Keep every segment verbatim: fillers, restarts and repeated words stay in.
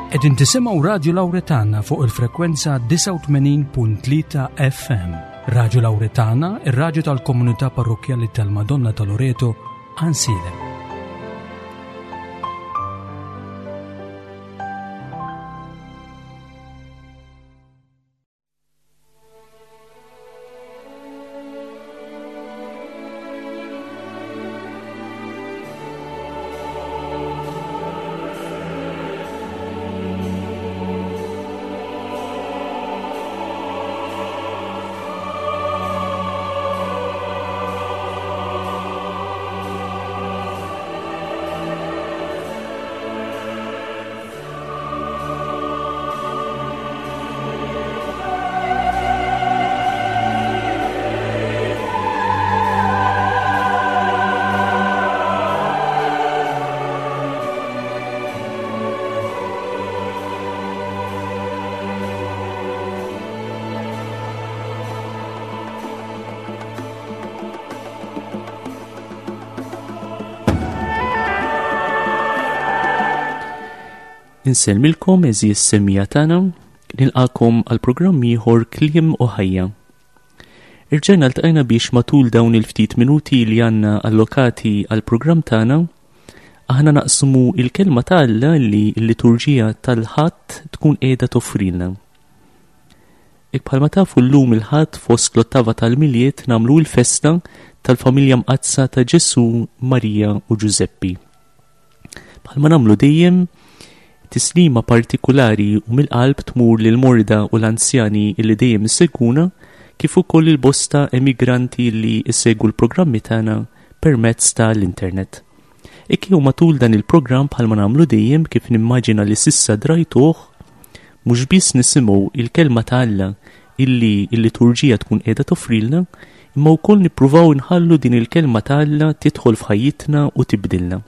Qegħdin tisimgħu Radio Lauretana fuq il-frekwenza disgħa u tmenin punt tlieta F M. Radio Lauretana, ir-radju tal-Komunità Parrokkjali tal-Madonna ta' Loreto, Għajnsielem. Insellmilkom eżis semija tagħna, nilqakom għal programm ieħor Kliem u Ħajja. Irġajna ltqajna biex matul dawn il-ftit minuti li għandna allokati għal programm tagħna, aħna naqsmu il-kelma ta' Alla li l-liturġija tal-Ħadd tkun qiegħda toffrilna. Hekk bħalma tafu llum il-Ħadd fost l-ottava tal-Milied nagħmlu l-festa tal-familja mqaddsa ta' Ġesù, Marija u Ġużeppi. Bħalma nagħmlu dejjem, tislima partikulari u mill-qalb tmur lil morda u l-anzjani li dejjem isegwuna, kif ukoll il-bosta emigranti li isegwu l-programmi tagħna permezz tal-internet. Hekk jew matul dan il-programm bħalma nagħmlu dejjem, kif nimmaġina li sissa drajtuh, mhux biss nisimgħu il-kelma ta' Alla illi l-liturġija tkun qiegħda toffrilna, imma wkoll nippruvaw inħallu din il-kelma ta' Alla tidħol f'ħajjitna u tibdilna.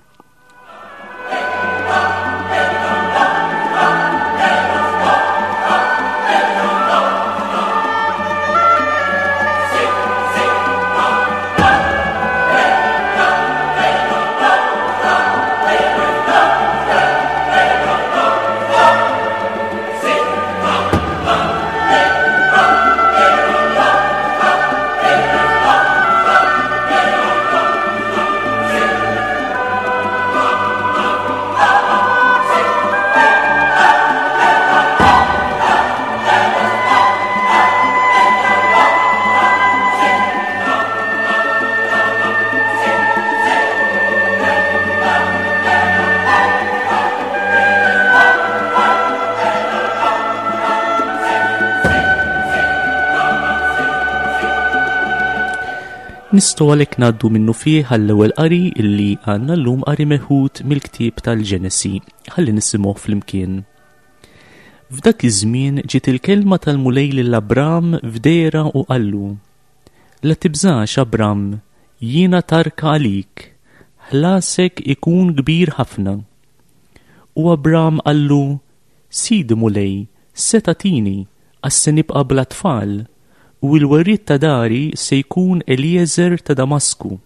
Nistgħu għalhekk ngħaddu minnu fih għall-ewwel qari illi għandna llum, qari meħud mill-ktieb tal-Ġenesi. Ħalli nisimgħu flimkien. F'dak iż-żmien ġiet il-kelma tal-Mulej lil Abram f'dehra u qallu: La tibżax, Abram, jiena tarka għalik, ħlasek ikun kbir ħafna. U Abram qallu: Sidi Mulej, se tagħtini, għax se nibqa' bla tfal, u l-werriet ta' dari se jkun Eliezer ta' Damasku.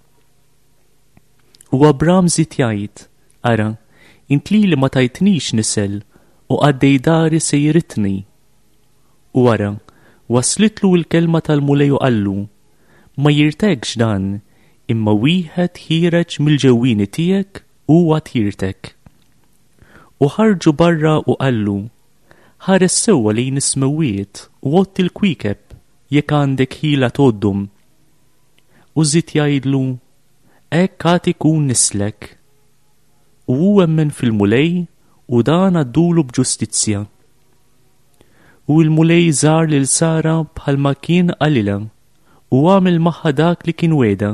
U Abram żied jgħid: Ara, int lili ma tajtnix nisel, u qaddej dari se jiritni. U ara, waslitlu l-kelma tal-Mulej u qallu: Ma jirtekx dan, imma wieħed ħiereġ mill-ġewwieni tiegħek u għad jirtek. U ħarġu barra u qallu: Ħares sewwa lejn is-smewwiet u għodd il-kwiekeb jekk għandek ħila tgħoddhom. U żied jgħidlu: Hekk għad ikun nislek. U hu emmen fil-Mulej u dan għaddulu b'ġustizzja. U l-Mulej żar lil Sara bħalma kien qalilha u għamel magħha dak li kien wegħda.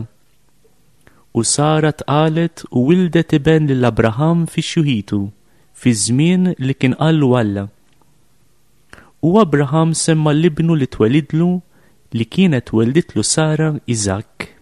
U Sara tqalet u wildet iben lil Abraham fi xjuħitu, fi żmien li kien qallu Alla. U Abraham semma l-ibnu li twelidlu li kienet welditlu Sara, Iżakk.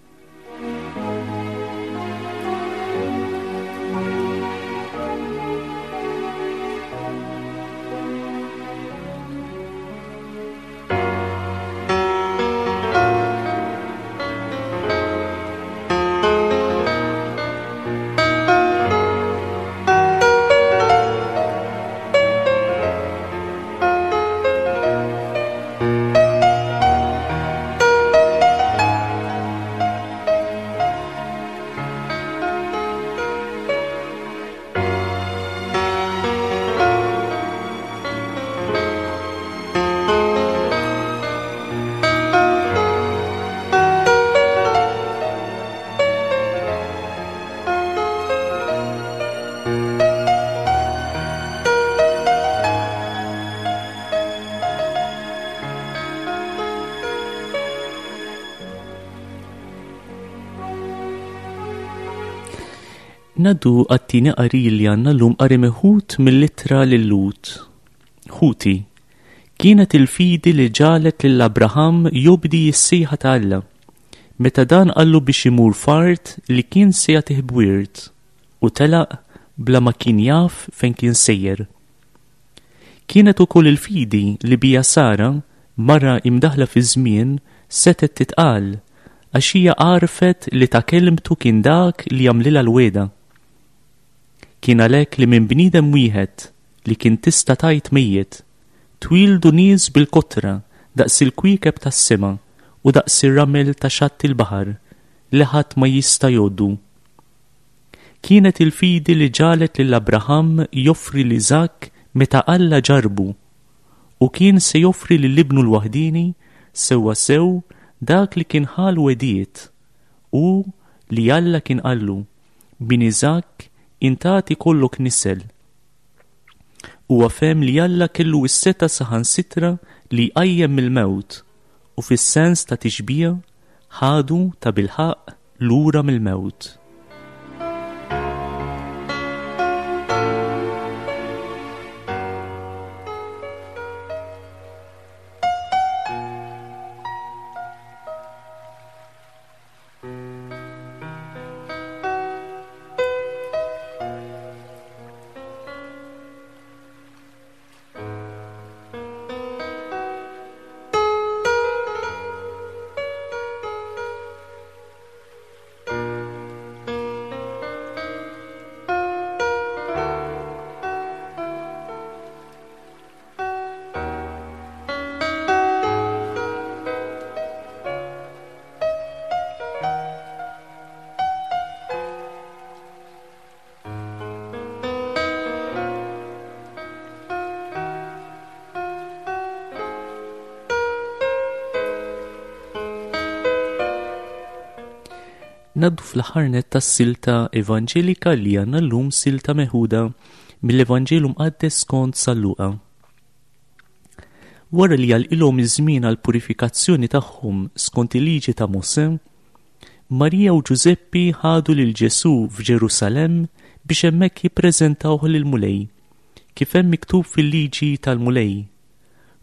Ngħaddu għat-tieni qari li għandna llum, qari meħud mill-ittra lil-Lhud. Ħuti, kienet il-fidi li ġagħlet lil Abraham jobdi s-sejħa ta' Alla, meta dan qallu biex imur f'art li kien se jagħtih b'wirt, u telaq bla ma kien jaf fejn kien sejjer. Kienet ukoll il-fidi li bija Sara, mara imdaħla fi żmien, setgħet titqal, għax hija għarfet li ta' kelmtu kien dak li jagħmlilha l-wegħda. Kien għalhekk li minn bniedem wieħed li kien tista' tgħid mejjet, twildu nies bil-kotra daqs il-kwiekeb tas-sema u daqs ir-ramel ta' xatt il-baħar li ħadd ma jista' jgħoddu. Kienet il-fidi li ġagħlet lil Abraham joffri lil Iżakk meta Alla ġarbu, u kien se joffri lil ibnu l-waħdini sewwa sew dak li kien ħa l-wegħdiet u li Alla kien qallu, minn Iżakk intati kollok nisel. Huwa fehem li Alla kellu s-setgħa saħansitra li jqajjem mill-mewt, u fis-sens ta' tixbija ħadu ta' bilħaqq lura mill-mewt. Ngħaddu fl-aħħar nett tas-silta evanġelika li għandna llum, silta meħuda mill-Evanġelu Mqaddes skont San Luqa. Wara li għalqilhom iż-żmien għall-purifikazzjoni tagħhom skont il-liġi ta' Mosè, Marija u Ġużeppi ħadu lil Ġesù f'Ġerusalemm biex hemmhekk jippreżentawh lill-Mulej, kif hemm miktub fil-liġi tal-Mulej.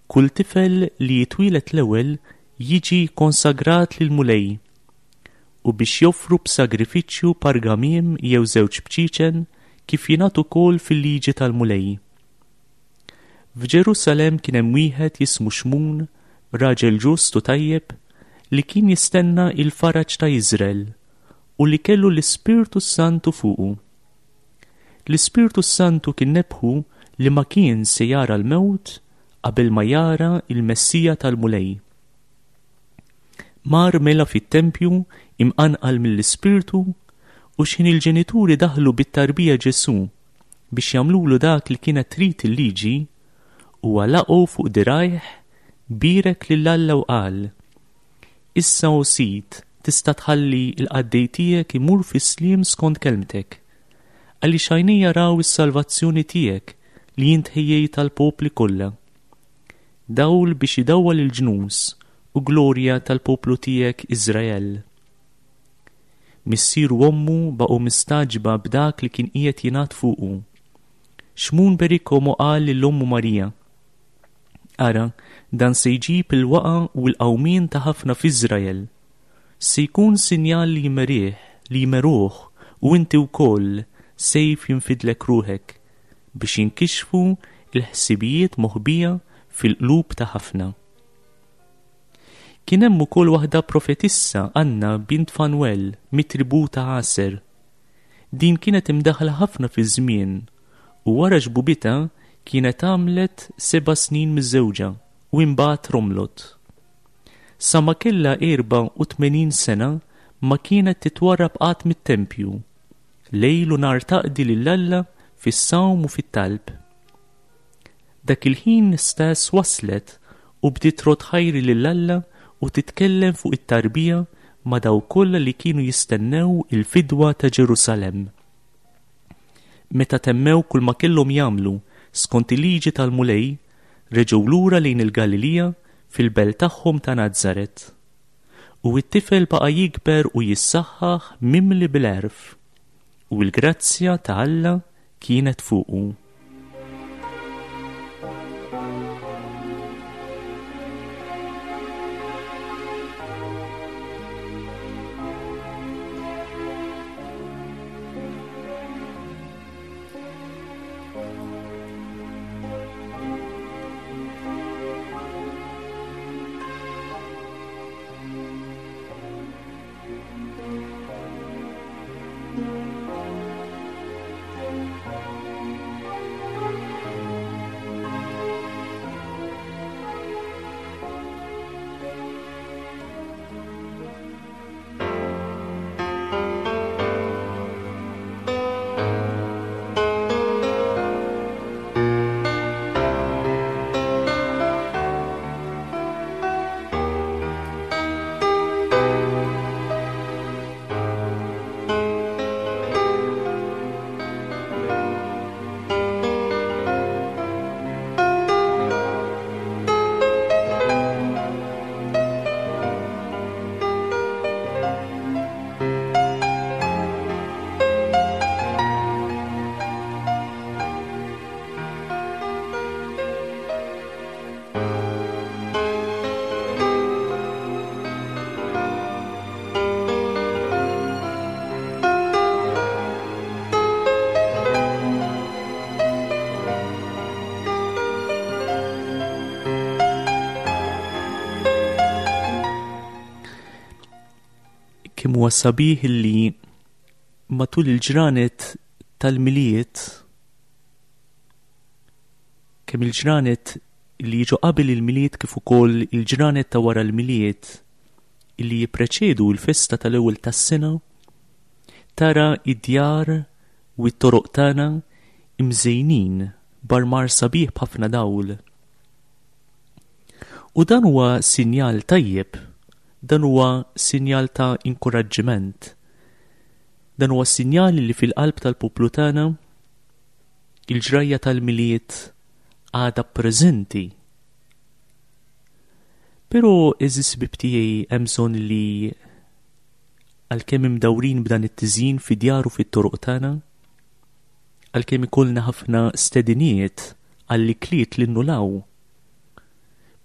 Kull tifel li jitwielet l-ewwel jiġi konsagrat lill-Mulej, u biex joffru b'sagrifiċċju pargamiem jew żewġ bċiċen kif jingħad ukoll fil-liġi tal-Mulej. F'Ġerusalemm kien hemm wieħed jismu Xmun, raġel ġust u tajjeb, li kien jistenna il-faraġ ta' Iżrael u li kellu l-Ispirtu Santu fuqu. L-Ispirtu Santu kien nebħu li ma kien se jara l-mewt qabel ma jara il-Messija tal-Mulej. Mar mela fit-tempju imqanqal mill-Ispirtu, u x'ħin il-ġenituri daħlu bit-tarbija Ġesù biex jagħmlulu dak li kienet trid il-liġi, huwa laqgħu fuq dirgħajh, bierek lil Alla u qal: Issa o Sid, tista' tħalli l-qaddej tiegħek imur fis-sliem skont kelmtek, għaliex għajnejja raw is-salvazzjoni tiegħek li int ħejjejt għall-popli kollha. Dawl biex idawwal il-ġnus u glorja tal-poplu tiegħek Iżrael. Missieru u ommu baqgħu mistagħġba b'dak li kien qiegħed jingħad fuqu. Xmun berikhom u qal lil ommu Marija: Ara, dan se jġib il-waqa u l-qawmien ta' ħafna f'Iżrael. Se jkun sinjal li jmerih, li jmeruh, u inti wkoll sejf jinfidlek ruħek, biex jinkixfu l-ħsibijiet moħbija fil-qlub ta' ħafna. Kien hemm ukoll waħda profetissa, Anna bint Fanuel, mit-tribù ta' Aser. Din kienet imdaħla ħafna fi żmien, u wara xbubitha kienet għamlet seba' snin miżżewġa u imbagħad romlot. Sa ma kellha erba' u tmenin sena ma kienet titwarrab qatt mit-tempju, lejl u nhar taqdi lil Alla fis-sawm u fit-talb. Dak il-ħin stess waslet u bdiet trod ħajri lil Alla u titkellem fuq it-tarbija ma' dawk kollha li kienu jistennew il-fidwa ta' Ġerusalemm. Meta temmew kull ma kellhom jagħmlu skont il-liġi tal-Mulej, reġgħu lura lejn il-Galilija fil-belt tagħhom ta' Nazaret. U t-tifel baqa' jikber u jissaħħaħ mimli bil-għerf, U l-grazzja ta' Alla kienet fuqu. Kemm huwa sabiħ li matul il-ġranet tal-Milied, kemm il-ġranet li jiġu qabel il-Milied kif ukoll il-ġranet ta' wara l-Milied li jippreċedu l-festa tal-ewwel tas-sena, tara id-djar u t-toroq tagħna imżejnin b'armar sabiħ b'ħafna dawl. U dan huwa sinjal tajjeb, dan huwa sinjal ta' inkoraġġiment. Dan huwa sinjal li fil-qalb tal-poplu tagħna il-ġrajja tal-Milied għadha preżenti. Però għeżież ħbieb tiegħi hemm bżonn li għalkemm imdawrin b'dan it-tiżjin fid-djar u fit-toroq tagħna, għalkemm ikollna ħafna stediniet għall-ikliet li nnulaw,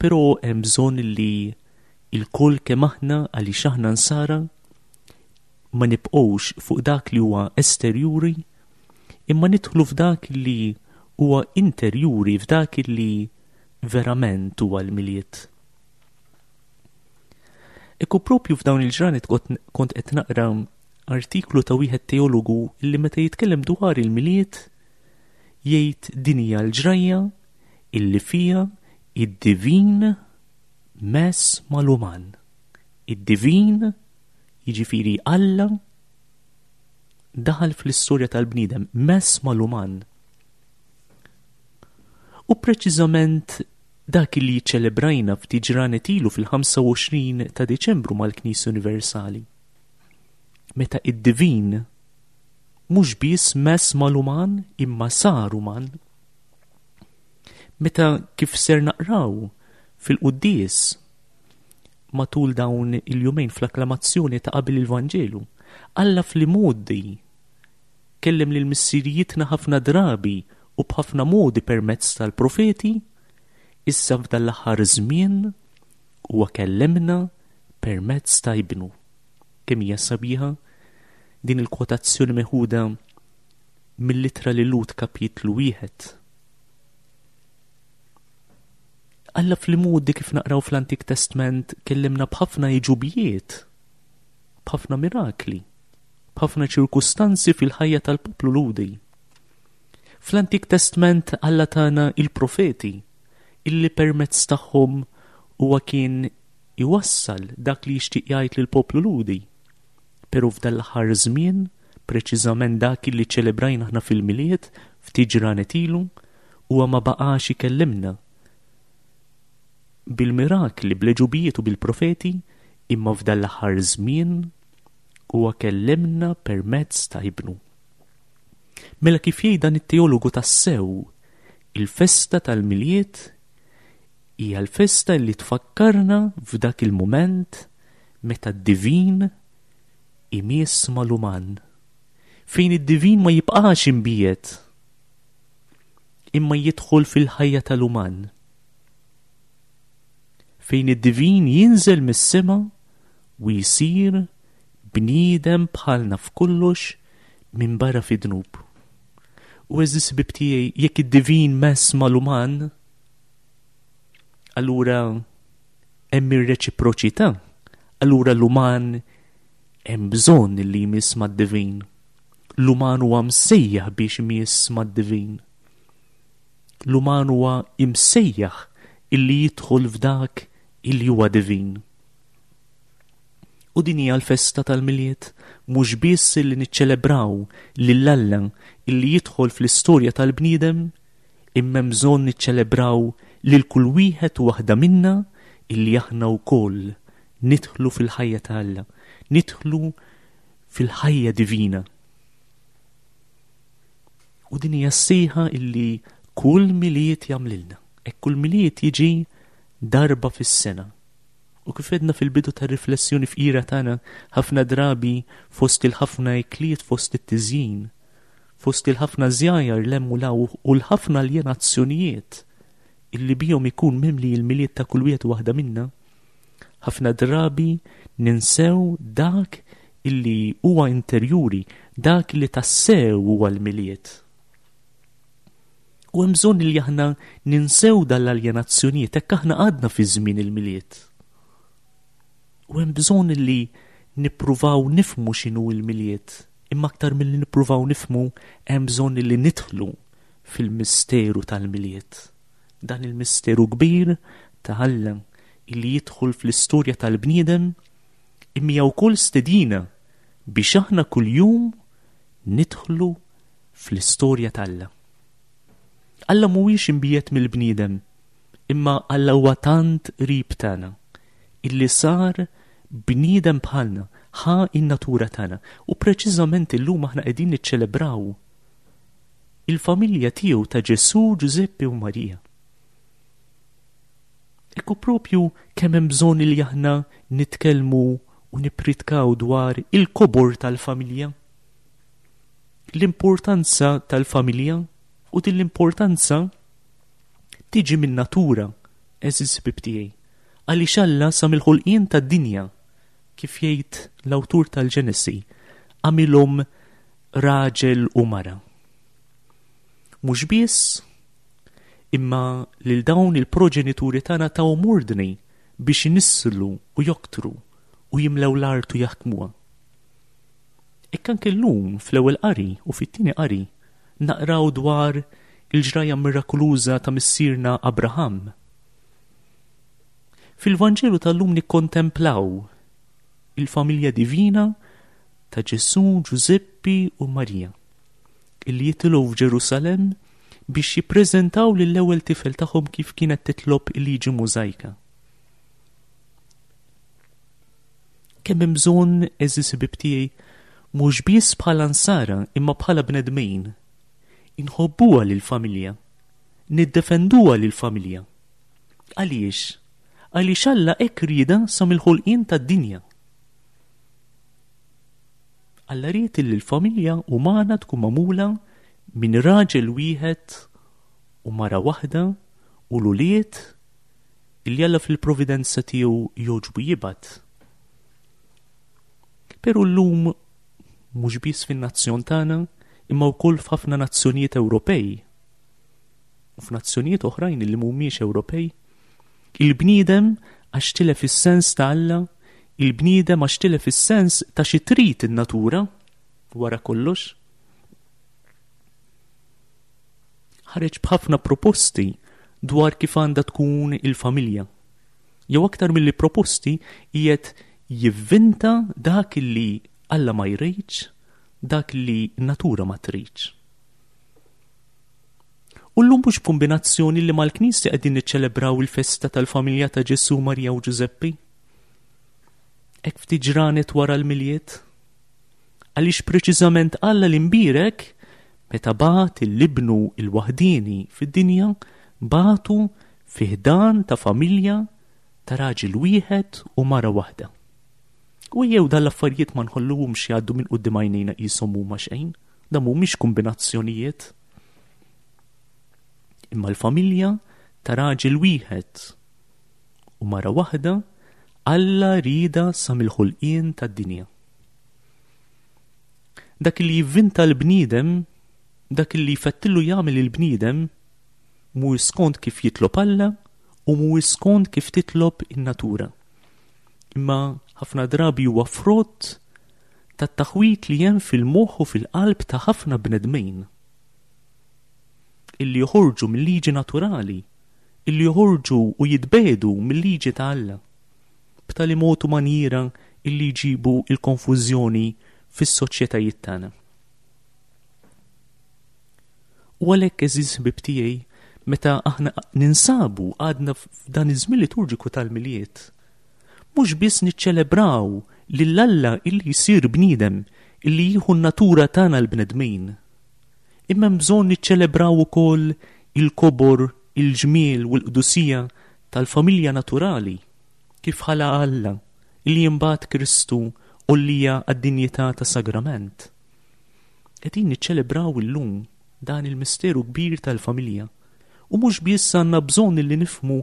però hemm bżonn li il-kull kemm aħna għaliex aħna nsara ma nibqgħux fuq dak li huwa esterjuri, imma nidħlu f'dak li huwa interjuri, f'dak li verament huwa l-Milied. Ekku propju f'dawn il-ġranet kont qed naqra artiklu ta' wieħed teologu li meta jitkellem dwar il-Milied jgħid din hija l-ġrajja illi fiha id-divin mess mal-uman. Id-divin, jiġifieri Alla, daħal fl-istorja tal-bniedem, mess mal-uman. U preċiżament dak li ċelebrajna ftit ġranet ilu fil-ħamsa u għoxrin ta' Diċembru mal-Knisja Universali. Meta id-divin mhux biss mess mal-uman imma sar uman. Meta kif ser naqraw fil-quddies matul dawn il-jumejn fl-akklamazzjoni ta' qabel il-Vanġelu, Alla fl-imgħoddi kellem lil missirijietna ħafna drabi u b'ħafna modi permezz tal-profeti, issa f'dan l-aħħar żmien huwa kellemna permezz ta' ibnu. Kemm hija sabiħa din il-kwotazzjoni meħuda mill-ittra lil Lut kapitlu wieħed. Alla fl-imgħoddi kif naqraw fl-Antik Testament kellimna b'ħafna iġubijiet, b'ħafna mirakli, b'ħafna ċirkustanzi fil-ħajja tal-poplu Lhudi. Fl-Antik Testament Alla tana il-profeti illi permezz tagħhom huwa kien iwassal dak li jixtieq jgħid lill-poplu Lhudi. Però f'dan l-aħħar żmien, preċiżament dak li ċelebrajna aħna fil-Milied ftit ġranet ilu, huwa ma baqax ikellimna bil-mirakli, bl-eġubijiet u bil-profeti, imma f'dan l-aħħar żmien huwa kellimna permezz ta' ibnu. Mela kif jgħid dan it-teologu tassew, il-festa tal-Milied hija l-festa li tfakkarna f'dak il-mument meta d-divin imiss mal-uman, Fejn id-divin ma jibqax imbiegħed, imma jidħol fil-ħajja tal-uman. Fejn id-divin jinżel mis-sema u jsir bniedem bħalna f'kollox minn barra fid-dnub. U għeżież ħbieb tiegħi, jekk id-divin mess mal-uman, allura hemm ir-reċiproċità, allura l-uman hemm bżonn li jmiss mad-divin. L-uman huwa msejjaħ biex imiss mad-divin. L-uman huwa imsejjaħ illi jidħol f'dak illi huwa divin. U din hija l-festa tal-Milied, mhux biss illi niċċelebraw lil Alla illi jidħol fl-istorja tal-bniedem, imma hemm bżonn niċċelebraw lil kull wieħed u waħda minna illi aħna wkoll nidħlu fil-ħajja ta' Alla, nidħlu fil-ħajja divina. U din hija s-sejħa illi kull Milied jagħmlilna. Hekk kull Milied jiġi darba fis-sena. U kif għedna fil-bidu tar-riflessjoni fqira tagħna, ħafna drabi fost il-ħafna ikliet, fost it-tiżjin, fost il-ħafna żjajjar 'l hemm u 'l hawn u l-ħafna aljenazzjonijiet illi bihom ikun mimli il-Milied ta' kull wieħed u waħda minna, ħafna drabi ninsew dak illi huwa interjuri, dak illi tassew huwa l-Milied. U hemm bżonn li aħna ninsew dal-aljenazzjonijiet hekk aħna għadna fi żmien il-Milied. U hemm bżonn li nippruvaw nifhmu x'inhu l-Milied, imma aktar milli nippruvaw nifhmu hemm bżonn li nidħlu fil-misteru tal-Milied. Dan il-misteru kbir ta' Alla illi jidħol fl-istorja tal-bniedem, imma hija wkoll stedina biex aħna kuljum nidħlu fl-istorja t'Alla. Alla mhuwiex imbiegħed mill-bniedem, imma Alla huwa tant qrib tagħna illi sar bniedem bħalna, ħa in-natura tagħna. U preċiżament illum aħna qegħdin niċċelebraw il-familja tiegħu ta' Ġesù, Ġużeppi u Marija. Ekku propju kemm hemm bżonn li aħna nitkellmu u nippritkaw dwar il-kobor tal-familja, l-importanza tal-familja, u din l-importanza tiġi min-natura, għeżież ħbieb tiegħi. Għaliex Alla sa mill-ħolqien tad-dinja, kif jgħid l-awtur tal-Ġenesi, għamilhom raġel u mara. Mhux biss, imma lil dawn il-proġenituri tagħna tawhom ordni biex inisslu u joktru u jimlew l-art u jaħkmuha. Hekk anke llum fl-ewwel qari u fit-tieni qari naqraw dwar il-ġrajja mirakoluża ta' missierna Abraham. Fil-Vanġelu tal-lum nikkontemplaw il-familja divina ta' Ġesù, Ġużeppi u Marija, illi jitilgħu f'Ġerusalemm biex jippreżentaw lill-ewwel tifel tagħhom kif kienet titlob il-liġi Mużajka. Kemm hemm bżonn, għeżież ħbieb tiegħi, mhux biss bħala nsara imma bħala bnedmin, inħobbuha lill-familja, niddefenduha lill-familja. Għaliex? Għaliex Alla hekk rieda sa mill-ħolqien tad-dinja. Alla ried li l-familja umana tkun magħmula minn raġel wieħed u mara waħda u l-ulied illi Alla fil-providenza tiegħu jogħġbu jibgħat. Però llum mhux biss fin-nazzjon tagħna, imma wkoll f'ħafna nazzjonijiet Ewropej u f'nazzjonijiet oħrajn li mhumiex Ewropej, il-bniedem għax tilef is-sens ta' Alla, il-bniedem għax tilef is-sens ta' xi trid in-natura wara kollox, ħareġ b'ħafna proposti dwar kif għandha tkun il-familja. Jew aktar milli proposti qiegħed jivvinta dak li Alla ma jridx, dak li n-natura ma tridx. U llum mhux b'kombinazzjoni li mal-Knisja qegħdin niċċelebraw il-festa tal-familja ta' Ġesù, Marija u Ġużeppi. Hekk ftit ġranet wara l-Milied. Għaliex preċiżament Alla l-imbierek meta bagħat il-ibnu il-waħdieni fid-dinja, bagħtu fi ħdan ta' familja ta' raġel wieħed u mara waħda. U jew dal-affarijiet ma nħolluhomx jgħaddu minn quddiem għajnejna qishom huma xejn. Dan mhumiex kombinazzjonijiet. Imma l-familja ta' raġel wieħed u mara waħda Alla rida sa mill-ħolqien tad-dinja. Dak li jivvinta l-bniedem, dak li jfettillu jagħmel il-bniedem, mhuwiex skont kif jitlob Alla u mhuwiex skont kif titlob in-natura. Imma ħafna drabi huwa frott tat-taħwit li hemm fil-moħħ u fil-qalb ta' ħafna bnedmin illi joħorġu mill-liġi naturali, illi joħorġu u jitbedu mill-liġi ta' Alla, b'tali mod u manjiera illi jġibu il-konfużjoni fis-soċjetajiet tagħna. U għalhekk, għeżież ħbieb tiegħi, meta aħna ninsabu għadna f'dan iż-żmien liturġiku tal-Milied, mhux biss niċċelebraw lil Alla illi jsir bniedem, illi jieħu n-natura tagħna l-bnedmin, imma hemm bżonn niċċelebraw ukoll il-kobor, il-ġmiel u l-qdusija tal-familja naturali, kif ħala Alla, illi imbagħad Kristu għollija għad-dinjità ta' sagrament. Qegħdin niċċelebraw illum dan il-misteru kbir tal-familja. U mhux biss għandna bżonn illi nifhmu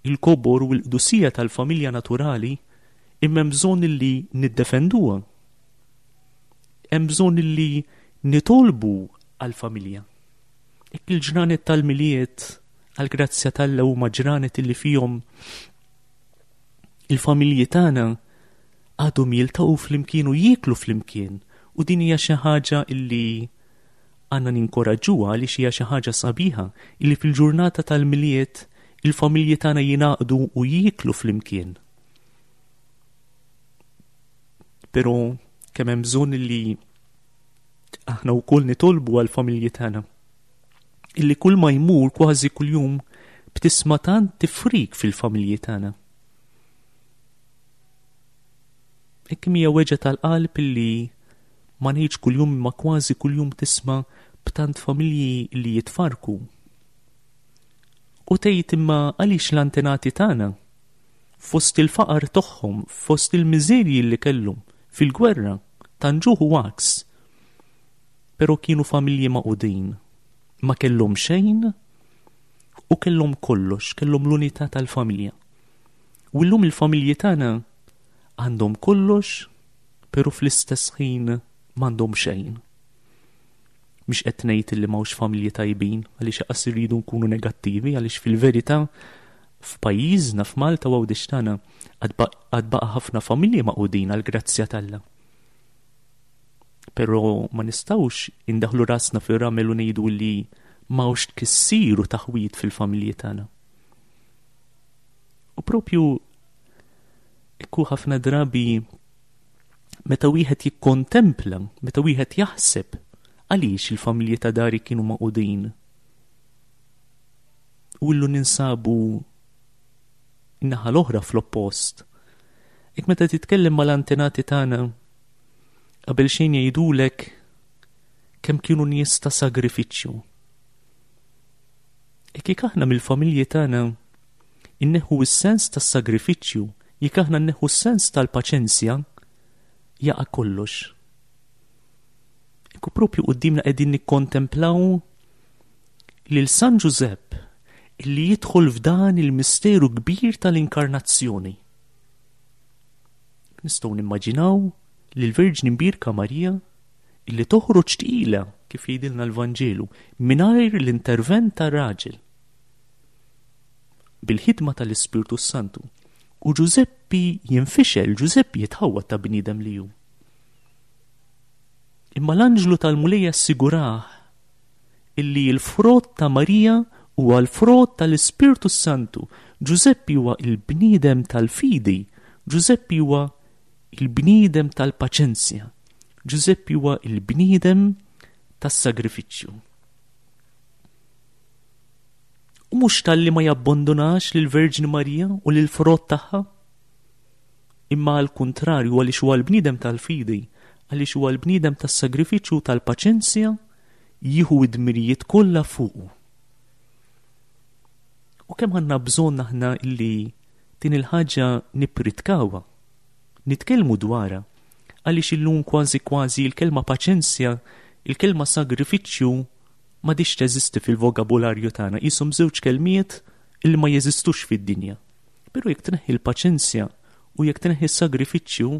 il-kobor u l-qdusija tal-familja naturali, imma hemm bżonn illi niddefenduha. Hemm bżonn illi nitolbu għall-familja. Hekk il-ġranet tal-Milied għall-grazzja t'Alla huma ġranet illi fihom il-familji tagħna għadhom jiltaqgħu flimkien u jieklu flimkien, u din hija xi ħaġa illi għandna ninkoraġġuha għaliex hija xi ħaġa sabiħa illi fil-ġurnata tal-Milied il-familji tagħna jingħaqdu u jieklu flimkien. Però kemm hemm bżonn illi aħna wkoll nitolbu għall-familji tagħna, illi kull ma jmur kważi kuljum b'tisma' tant tifrik fil-familji tagħna. Hekk hija weġgħa tal-qalb illi ma ngħidx kuljum imma kważi kuljum tisma' b'tant familji li jitfarku. U tgħid imma għaliex l-antenati tagħna fost il-faqar tagħhom, fost il-miżerji li kellhom fil-gwerra, tanġuħ u għaks, però kienu familji maqudin, ma kellhom xejn u kellhom kollox, kellhom l-unità tal-familja. U llum il-familji tagħna għandhom kollox, però fl-istess ħin m'għandhom xejn. Mhix qed ngħid li m'hawnx familji tajbin, għaliex qas irridu nkunu negattivi, għaliex fil-verità f'pajjiżna f'Malta u Għawdex tagħna għad baqa' ħafna familji maqudin għall-grazzja t'Alla. Però ma nistgħux indaħlu rasna fir-ramel u ngħidu li m'hawnx tkissir u taħwid fil-familji tagħna. U propju ikku ħafna drabi meta wieħed jikkontempla, meta wieħed jaħseb għaliex il-familji ta' dari kienu maqudin. U illu ninsabu in-naħa l-oħra fl-oppost. Ek meta titkellem mal-antenati tagħna, qabel xejn jgħidulek kemm kienu nies ta' sagrifiċċju. Ek jekk aħna mill-familji tagħna inneħħu s-sens tas-sagrifiċċju, jekk aħna nneħħu s-sens tal-paċenzja, jaqa' kollox. Ekku propju quddiemna qegħdin nikkontemplaw lil San Ġużepp illi jidħol f'dan il-misteru kbir tal-inkarnazzjoni. Nistgħu nimmaġinaw li l-Verġni Mbierka Marija illi toħroġ tqila kif jgħidilna l-Vanġelu mingħajr l-intervent tar-raġel bil-ħidma tal-Ispirtu Santu. U Ġużeppi jinfixel, Ġużeppi jitħawwad ta' bniedem li hu. Imma l-anġlu tal-Mulej assigurah illi l-frott ta' Marija huwa l-frott tal-Ispirtu Santu. Ġużeppi huwa il-bniedem tal-fidi, Ġużeppi huwa il-bniedem tal-paċenzja, Ġużeppi huwa il-bniedem tas-sagrifiċċju. U mhux talli ma jabbandunax lill-Verġni Marija u lill-frott tagħha, imma għall-kuntrarju għaliex huwa l-bniedem tal-fidi, għaliex huwa l-bniedem tas-sagrifiċċju u tal-paċenzja, jieħu id-dmirijiet kollha fuqu. U kemm għandna bżonn aħna illi din il-ħaġa nippritkawha, nitkellmu dwarha, għaliex illum kważi kważi l-kelma paċenzja Il-kelma sagrifiċċju m'għadhiex teżisti fil-vokabularju tagħna, qishom żewġ kelmiet illi ma jeżistux fid-dinja. Però jekk tneħħi l-paċenzja u jekk tneħħi s-sagrifiċċju,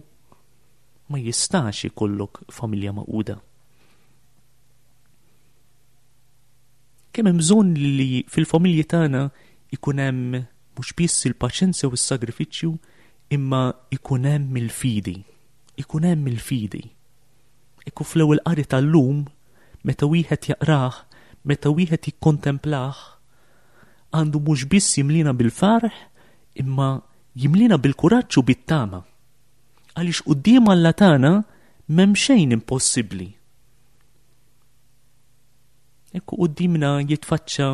ma jistax ikollok familja magħquda. Kemm hemm bżonn li fil-familji tagħna ikun hemm mhux biss il-paċenzja u s-sagrifiċċju, imma ikun hemm il-fidi. Ikun hemm il-fidi. Ekku fl-ewwel qari tal-lum, meta wieħed jaqrah, meta wieħed jikkontemplah, għandu mhux biss jimlina bil-ferħ, imma jimlina bil-kuraġġ u bit-tama. Għaliex quddiem Alla tagħna m'hemm xejn impossibbli. Ekku quddiemna jitfaċċa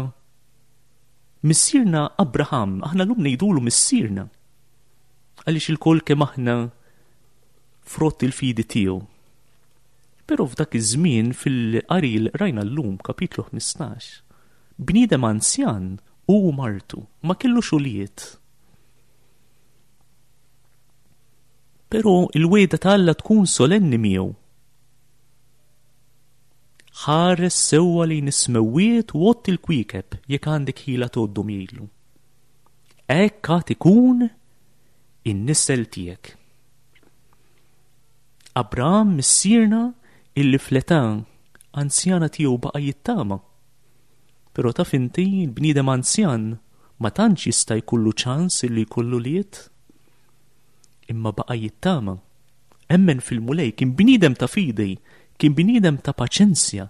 missierna Abraham, aħna llum ngħidulu missierna, għaliex ilkoll kemm aħna frott il-fidi tiegħu. Però f'dak iż-żmien fil-qari li rajna llum, kapitlu ħmistax, bniedem anzjan u martu ma kellux ulied. Però il-wegħda ta' Alla tkun solenni miegħu. Ħares sewwa lejn is-smewwiet u għodd il-kwiekeb jekk għandek ħila tgħoddhom, jgħidlu. Hekk għad ikun in-nisel tiegħek. Abraham missierna illi fl-età anzjana tiegħu baqa' jittama. Però taf inti, il-bniedem anzjan ma tantx jista' jkollu ċans illi jkollu liet, imma baqa' jittama. Emmen fil-Mulej, kien bniedem ta' fidi, kien bniedem ta' paċenzja,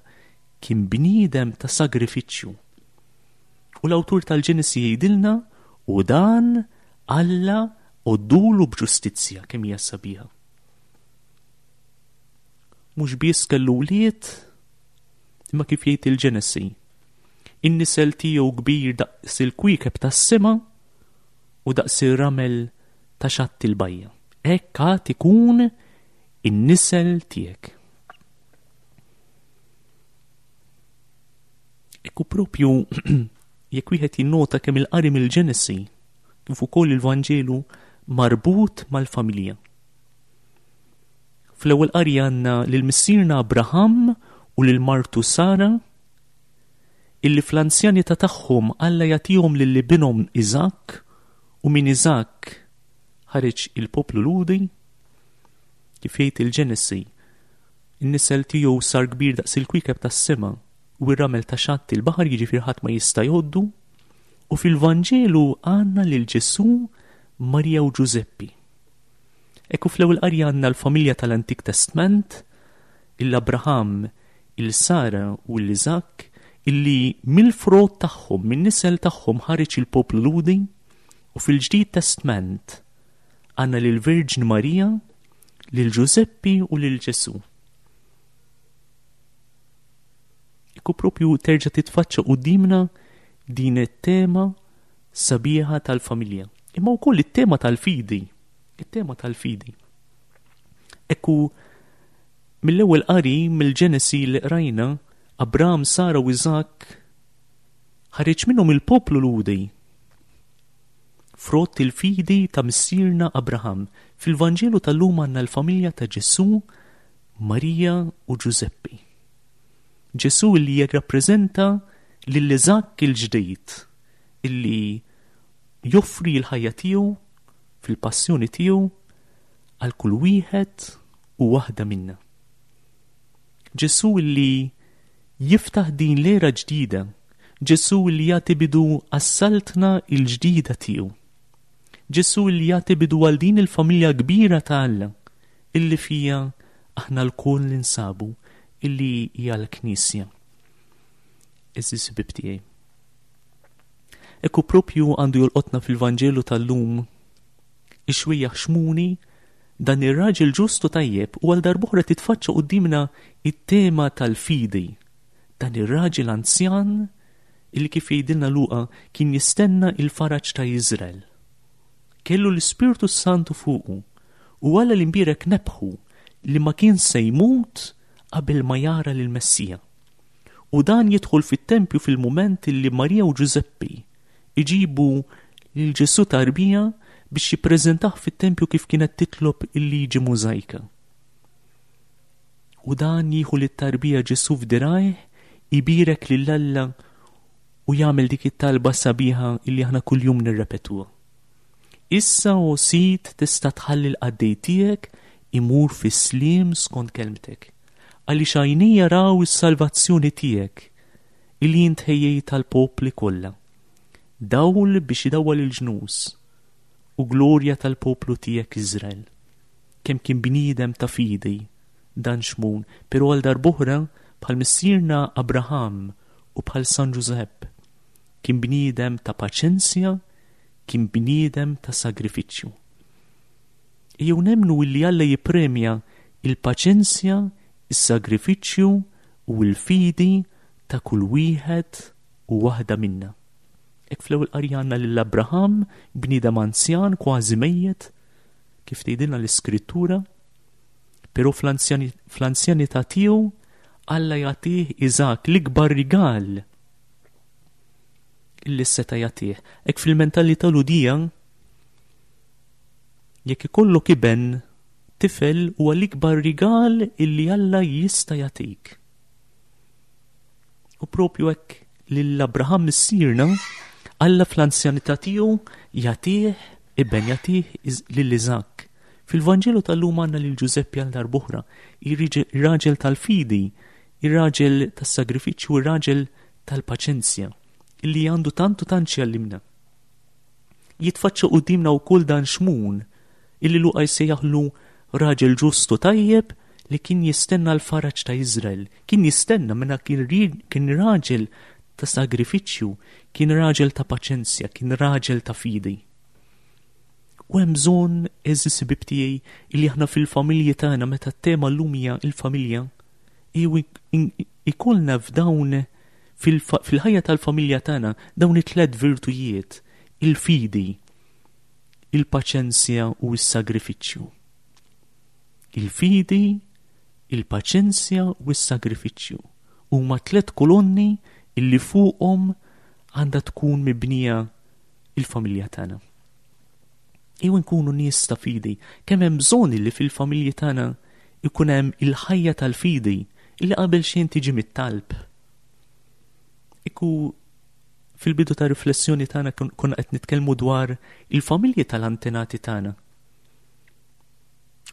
kien bniedem ta' sagrifiċċju. U l-awtur tal-Ġenesi jgħidilna, u dan Alla għoddulu b'ġustizzja. Kemm hija sabiħa. Mhux biss kellu wlied, imma kif jgħid il-Ġenesi, in-nisel tiegħu kbir daqs il-kwiekeb tas-sema u daqs ir-ramel ta' xatt il-bajja. Hekk għad ikun in-nisel tiegħek. Ekku propju jekk wieħed jinnota kemm il-qari mill-Ġenesi kif ukoll il-Vanġelu marbut mal-familja. Fl-ewwel qari għandna lil missierna Abraham u lil martu Sara, illi fl-anzjanità tagħhom Alla jagħtihom lil ibinhom Iżakk, u minn Iżakk ħareġ il-poplu Lhudi. Kif jgħid il-Ġenesi, in-nisel tiegħu sar kbir daqs il-kwiekeb tas-sema u r-ramel ta' xatt il-baħar, jiġifieri ħadd ma jista' jgħoddu. U fil-Vanġelu għandna lil Ġesù, Marija u Ġużeppi. Ekku fl-ewwel qari għandna l-familja tal-Antik Testament, il-Abraham, il-Sara u l-Iżakk, illi mill-frott tagħhom, min-nisel tagħhom ħareġ il-poplu Lhudi. U fil-Ġdid Testament għandna lil Virġni Marija, lil Ġużeppi u lil Ġesù. Ekku propju terġa' titfaċċa quddiemna din it-tema sabiħa tal-familja, imma wkoll it-tema tal-fidi, it-tema tal-fidi. Ekku mill-ewwel qari mill-Ġenesi li qrajna, Abraham, Sara u Iżakk ħareġ minnhom il-poplu Lhudi, frott il-fidi ta' missierna Abraham. Fil-Vanġelu tal-lum għandna l-familja ta' Ġesù, Marija u Ġużeppi. Ġesù li jirrappreżenta lil Iżakk il-ġdid, illi joffri l-ħajja tiegħu fil-passjoni tiegħu għal kull wieħed u waħda minna. Ġesù li jiftaħ din l-era ġdida, Ġesù li jagħti bidu għas-saltna l-ġdida tiegħu. Ġesù li jagħti bidu għal din il-familja kbira ta' Alla illi fija aħna lkoll ninsabu, illi hija l-Knisja. Għeżież ħbieb tiegħi, ekku propju għandu jolqotna fil-Vanġelu tal-lum ix-xwejjaħ Xmuni, dan ir-raġel ġustu tajjeb, u għal darb'oħra titfaċċa quddiemna it-tema tal-fidi. Dan ir-raġel anzjan illi kif jgħidilna Luqa kien jistenna il-faraġ ta' Iżrael. Kellu l-Ispirtu Santu fuqu u Alla l-imbierek nebħu li ma kien se jmut qabel ma jara lil Messija. U dan jidħol fit-tempju fil-mument li Marija u Ġużeppi iġibu lil Ġesù tarbija biex jippreżentah fit-tempju kif kienet titlob il-liġi Mużajka. U dan jieħu lit-tarbija Ġesù f'dirajh, ibierek lil Alla u jagħmel dik it-talba sabiħa illi aħna kuljum nirrepetuha. Issa, o Sid, tista' tħalli l-qaddej tiegħek imur fis-sliem skont kelmtek. Għaliex għajnejja raw is-salvazzjoni tiegħek illi int ħejjejt tal-popli kollha. Dawl biex idawwal il-ġnus u glorja tal-poplu tiegħek Iżrael. Kemm kien bniedem ta' fidi dan Xmun, però għal darb'oħra bħal missierna Abraham u bħal San Ġużepp kien bniedem ta' paċenzja, kien bniedem ta' sagrifiċċju. Ejjew nemmnu illi Alla jippremja il-paċenzja, is-sagrifiċċju u l-fidi ta' kull wieħed u waħda minna. Hekk fl-ewwel qari għandna lil Abraham, bniedem anzjan kważi mejjet, kif tgħidilna l-Iskrittura, però fl-anzjanità tiegħu Alla jagħtih Iżak, l-ikbar rigal illi seta' jagħtih. Hekk fil-mentalità Lhudija, jekk ikollok iben tifel huwa l-ikbar rigal illi Alla jista' jagħtik. U propju hekk lil Abraham missierna, Alla fl-anzjanità tiegħu jagħtih iben, jagħtih lil Iżak. Fil-Vanġelu tal-lum għandna lil Ġużeppi għal darb'oħra, ir-raġel tal-fidi, ir-raġel tas-sagrifiċċju, ir-raġel tal-paċenzja, illi għandu tant u tant x'jgħallimna. Jitfaċċa quddiemna wkoll dan Xmun, illi Luqa jsejjaħlu raġel ġustu tajjeb li kien jistenna l-faraġ ta' Iżrael, kien jistenna minna kien kien raġel ta' sagrifiċċju, kien raġel ta' paċenzja, kien raġel ta' fidi. U hemm bżonn, għeżież ħbieb tiegħi, illi aħna fil-familji tagħna, meta t-tema llum hija il-familja, ikollna f'dawn fil-ħajja tal-familja tagħna dawn it-tliet virtujiet, il-fidi, il-paċenzja u s-sagrifiċċju. Il-fidi, il-paċenzja u s-sagrifiċċju huma tliet kolonni illi fuqhom għandha tkun mibnija il-familja tagħna. Ejjew nkunu nies ta' fidi, kemm hemm bżonn li fil-familji tagħna ikun hemm il-ħajja tal-fidi illi qabel xejn tiġi mit-talb. Iku fil-bidu ta' riflessjoni tagħna konna qed nitkellmu dwar il-familji tal-antenati tagħna.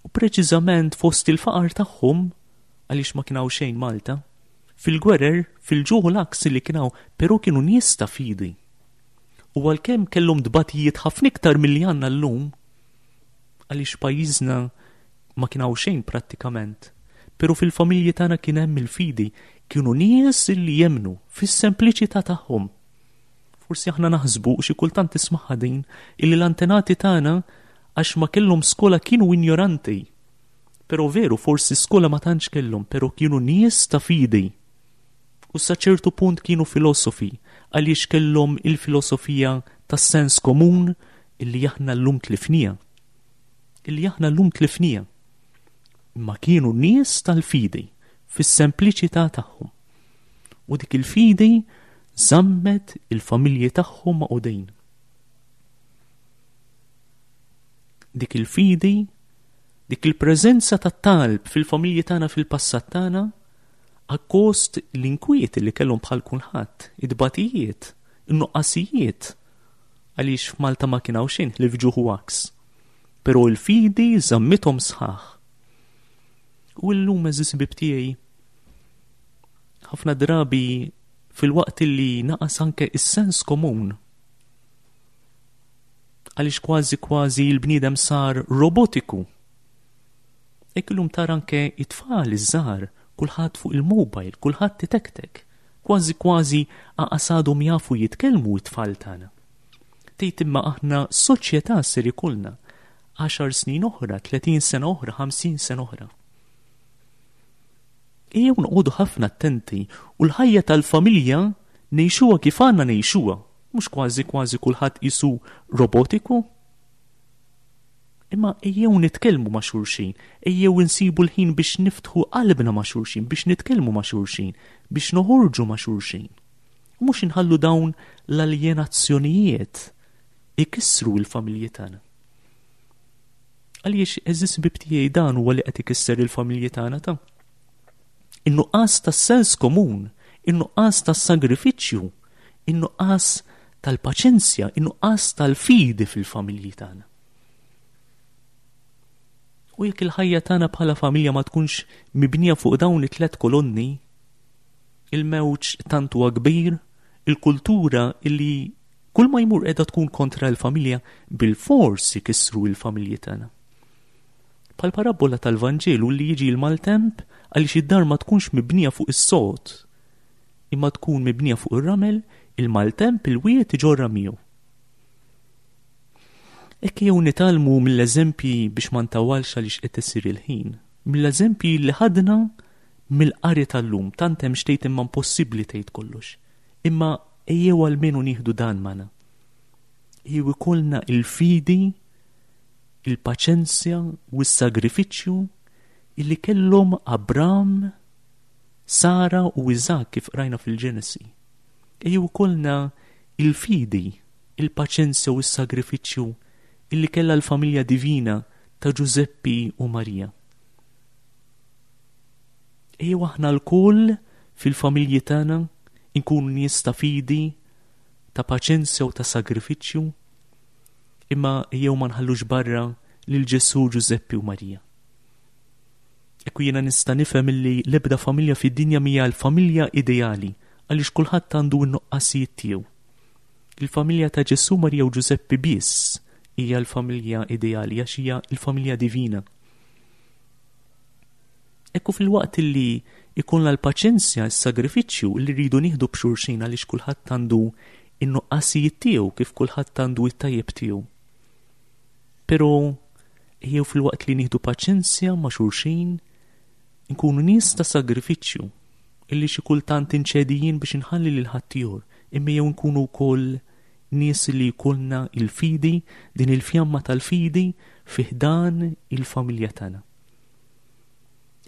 U preċiżament fost il-faqar tagħhom, għaliex ma kien hawn xejn Malta, fil-gwerer, fil-ġuħ u l-għaks li kien hawn, però kienu nies ta' fidi. U għalkemm kellhom tbatijiet ħafna iktar milli għandna llum, għaliex pajjiżna ma kien hawn xejn prattikament, però fil-familji tagħna kien hemm il-fidi, kienu nies li jemmnu fis-sempliċità tagħhom. Forsi aħna naħsbu xi kultant tismagħha din illi l-antenati tagħna għax ma kellhom skola kienu ignoranti. Però veru, forsi skola ma tantx kellhom, però kienu nies ta' fidi. U sa ċertu punt kienu filosofi, għaliex kellhom il-filosofija tas-sens komun illi aħna llum tlifnija. Illi aħna llum tlifnija. Imma kienu nies tal-fidi fis-sempliċità tagħhom. U dik il-fidi żammet il-familji tagħhom maqudin. Dik il-fidi, dik il-preżenza tat-talb fil-familji tagħna fil-passat tagħna, akkost l-inkwiet li kellhom bħal kulħadd, id-batijiet, in-nuqqasijiet, għaliex f'Malta ma kien hawn xejn ħlief ġuħ u għaks. Però l-fidi żammithom sħaħ. U llum, għeżież ħbieb tiegħi, ħafna drabi fil-waqt li naqas anke is-sens komun, għaliex kważi kważi l-bniedem sar robotiku. Hekk illum tara anke it-tfal iż-żgħar, kulħadd fuq il-mobile, kulħadd titektek, kważi kważi aqas għadhom jafu jitkellmu t-tfal tagħna. Tgħid imma aħna soċjetà ser ikollna għaxar snin oħra, tletin sena oħra, ħamsin sena oħra. Ejjew noqogħdu ħafna attenti u l-ħajja tal-familja ngħixuha kif għandna ngħixuha, mhux kważi kważi kulħadd qisu robotiku. Imma ejjew nitkellmu ma' xulxin, ejjew insibu l-ħin biex niftħu qalbna ma' xulxin, biex nitkellmu ma' xulxin, biex noħorġu ma' xulxin. U mhux inħallu dawn l-aljenazzjonijiet ikissru l-familji tagħna. Għaliex, għeżież ħbieb tiegħi, dan huwa li qed ikisser il-familji tagħna ta'. In-nuqqas tas-sens komun, in-nuqqas tas-sagrifiċċju, in-nuqqas tal-paċenzja, in-nuqqas tal-fidi fil-familji tagħna. U jekk il-ħajja tagħna bħala familja ma tkunx mibnija fuq dawn it-tlet kolonni, il-mewġ tant huwa kbir, il-kultura illi kull ma jmur qiegħda tkun kontra l-familja bilfors ikissru l-familji tagħna. Bħal parabola tal-Vanġelu li jiġi l-maltemp għaliex id-dar ma tkunx mibnija fuq is-sod, imma tkun mibnija fuq ir-ramel, il-maltemp il-wied iġorra miegħu. Hekk jew nitgħallmu mill-eżempji biex ma ntawwalx għaliex qed isir il-ħin, mill-eżempji li ħadna mill-qari tal-lum, tant hemm xtejt imma impossibbli tgħid kollox. Imma ejjew almenu nieħdu dan magħna. Ejjew ikollna il-fidi, il-paċenzja u s-sagrifiċċju illi kellhom Abram, Sara u Iżak kif qrajna fil-Ġenesi. Ejjew ikollna il-fidi, il-paċenzja u s-sagrifiċċju illi kellha l-familja divina ta' Ġużeppi u Marija. Ejjew aħna lkoll fil-familji tagħna inkunu nies ta' fidi, ta' paċenzja u ta' sagrifiċċju, imma ejjew ma nħallux barra lil Ġesù, Ġużeppi u Marija. Ekku jiena nista' nifhem illi l-ebda familja fid-dinja mhija l-familja ideali għaliex kulħadd għandu n-nuqqasijiet tiegħu. Il-familja ta' Ġesù, Marija u Ġużeppi biss hija l-familja ideali għax hija l-familja divina. Ekku fil-waqt illi ikollna l-paċenzja, s-sagrifiċċju li rridu nieħdu b'xulxin għaliex kulħadd għandu in-nuqqasijiet tiegħu kif kulħadd għandu it-tajjeb tiegħu. Però ejjew fil-waqt li nieħdu paċenzja ma' xulxin inkunu nies ta' sagrifiċċju illi xi kultant inċedi jien biex inħalli lil ħaddieħor, imma jew nkunu wkoll nies li jkollna il-fidi, din il-fjamma tal-fidi fi ħdan il-familja tagħna.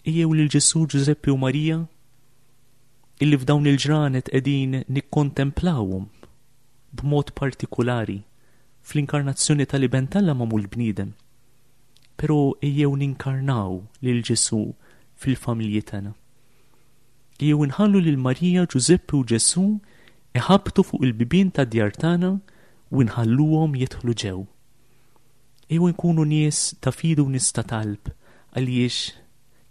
Ejjew lil Ġesù, Ġużeppi u Marija illi f'dawn il-ġranet qegħdin nikkontemplawhom b'mod partikolari fl-inkarnazzjoni tal-Iben t'Alla magħmul bniedem. Però ejjew ninkarnaw lil Ġesù fil-familji tagħna. Ejjew inħallu lil Marija, Ġużeppi u Ġesù iħabtu fuq il-bibien tad-djar tagħna u nħalluhom jidħlu ġew. Ejjew nkunu nies ta' fidi u nies ta' talb għaliex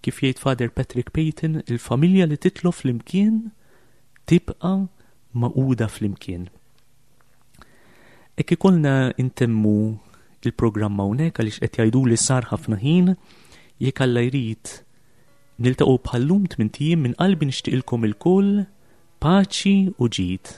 kif jgħid Father Patrick Peyton, il-familja li titlob flimkien tibqa' magħquda flimkien. Hekk ikollna intemmu il-programm hawnhekk għaliex qed jgħidu li sar ħafna ħin, jekk Alla jrid niltaqgħu bħallum tmint ijiem. Minn qalbi nixtieqilkom ilkoll paċi u ġid.